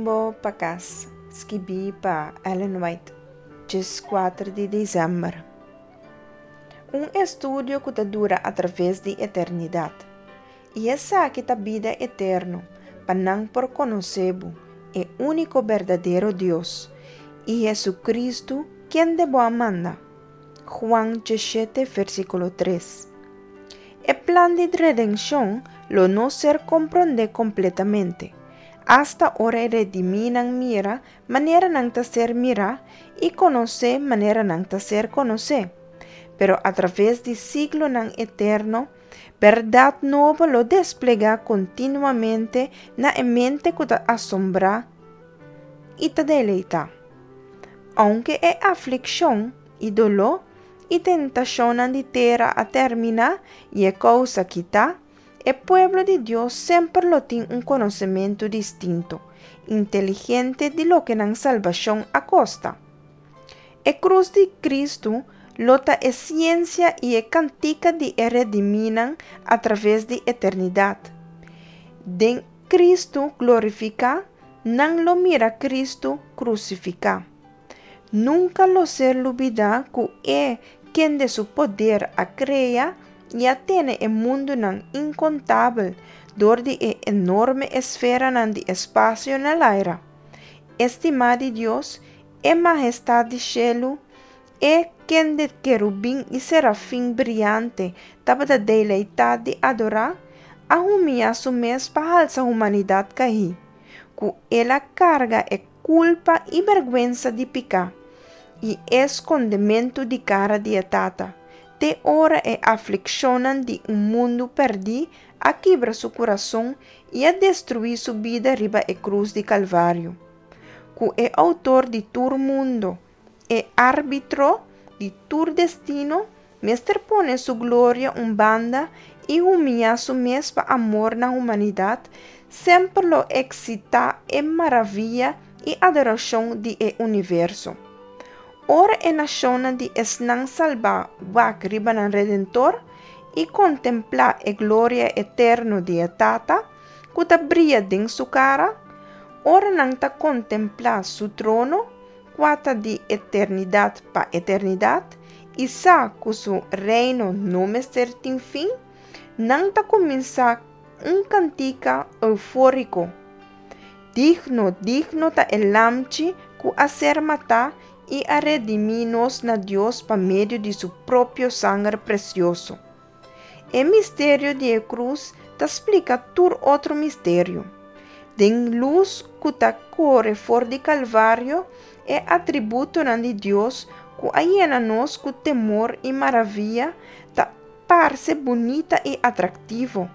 Rumbo pa Kas, skibí pa Ellen White, 14 di desèmber. Un estudio ku ta dura atraves di eternidat. I esaki ta bida eterno, pa nan por konosé bo, e úniko berdadero Dios, i Hesukristu, kende bo a manda. Juan 17, versíkulo 3. E plan di redenshon lo no ser komprondé kompletamente, asta ora e redimínan mira manera nan ta ser mirá i konosé manera nan ta ser konosé. Pero atraves di siglonan eterno, bèrdat nobo lo desplegá kontinuamente na e mente ku ta asombrá i ta deleitá. Ounke e aflikshon i doló i tentashonnan di tera a terminá i e kousa kitá, e pueblo di Dios semper lo tin un konosementu distinto, inteligente di loke nan salbashon a kosta. E krus di Kristu lo ta e siensia i e kantika di e redimínan atraves di eternidat. Den Kristu glorifiká, nan lo mira Kristu krusifiká. Nunka lo ser lubidá ku E kende su poder a krea i a tene e mundunan inkontabel dor di e enorme esferanan di espasio na laira. E stimá di Dios, e Mahestat di shelu, E kende kerubin i serafin briante tabata deleitá di adorá, a humiá su mes pa halsa humanidat kaí, ku el a karga e kulpa i bèrgwensa di piká, i e skondementu di kara di e Tata, te ora e aflikshonnan di un mundu pèrdí a kibra su kurason i a destruí su bida riba e krus di Kalvario. Ku e Outor di tur mundo, E árbitro di tur destino mester pone su gloria un banda i humiá su mes pa amor na humanidat, semper lo eksitá e maravia i adorashon di e universo. Ora e nashonnan di esnan salbá wak riba nan Redentor i kontemplá e gloria eterno di e Tata, ku ta bria den su kara, ora nan ta kontemplá su trono, kua ta di eternidat pa eternidat, i sa ku su reino no mester tin fin, nan ta kuminsá un kantika eufóriko, Digno, digno ta e Lamchi ku a ser matá i a redimí nos na Dios pa medio di su propio sanger presioso. E misterio di e krus ta splika tur otro misterio. Den lus ku ta kore for di Kalvario, e atributonan di Dios ku a yena nos ku temor i maravia ta parse bunita i atraktivo.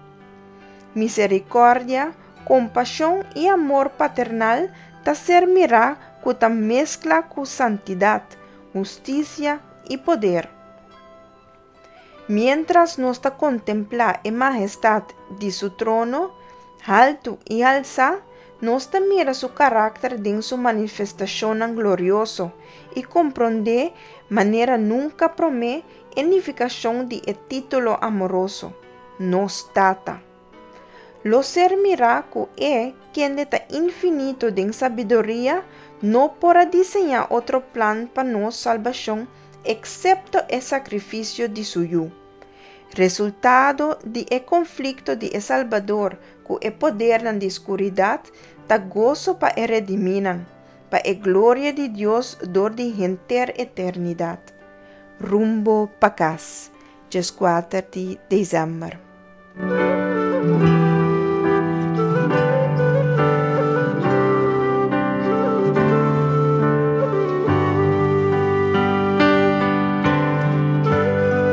Miserikòrdia, kompashon i amor paternal ta ser mirá ku ta meskla ku santidat, hustisia i poder. Miéntras nos ta kontemplá e mahestat di su trono, haltu i halsá, nos ta mira su karakter den su manifestashonnan glorioso i komprondé manera nunka promé e nifikashon di e título amoroso, Nos Tata. Lo ser mirá ku E, kende ta infinito den sabiduria, no por a diseñá otro plan pa nos salbashon eksepto e sakrifisio di Su Yu. Resultado di e konflikto di e Salbador ku e podernan di skuridat ta goso pa e redimínan, pa e gloria di Dios dor di henter eternidat. Rumbo pa kas, 14 di desèmber.